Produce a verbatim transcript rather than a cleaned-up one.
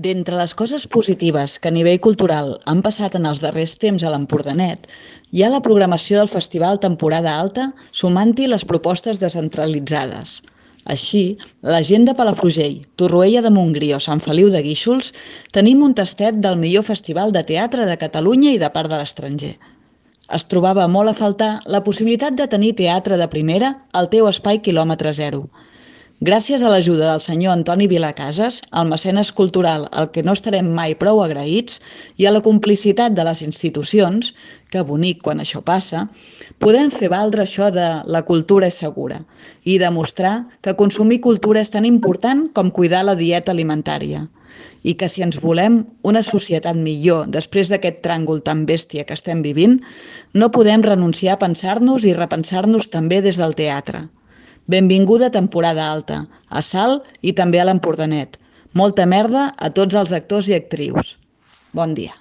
D'entre les coses positives que a nivell cultural han passat en els darrers temps a l'Empordanet, hi ha la programació del Festival Temporada Alta sumant-hi les propostes descentralitzades. Així, la gent de Palafrugell, Torroella de Montgrí o Sant Feliu de Guíxols tenim un tastet del millor festival de teatre de Catalunya i de part de l'estranger. Es trobava molt a faltar la possibilitat de tenir teatre de primera al teu espai quilòmetre zero. Gràcies a l'ajuda del senyor Antoni Vilacases, el mecenes cultural al que no estarem mai prou agraïts, i a la complicitat de les institucions, que bonic quan això passa, podem fer valdre això de la cultura és segura i demostrar que consumir cultura és tan important com cuidar la dieta alimentària. I que si ens volem una societat millor després d'aquest tràngol tan bèstia que estem vivint, no podem renunciar a pensar-nos i repensar-nos també des del teatre. Benvinguda temporada alta, a Salt i també a l'Empordanet. Molta merda a tots els actors i actrius. Bon dia.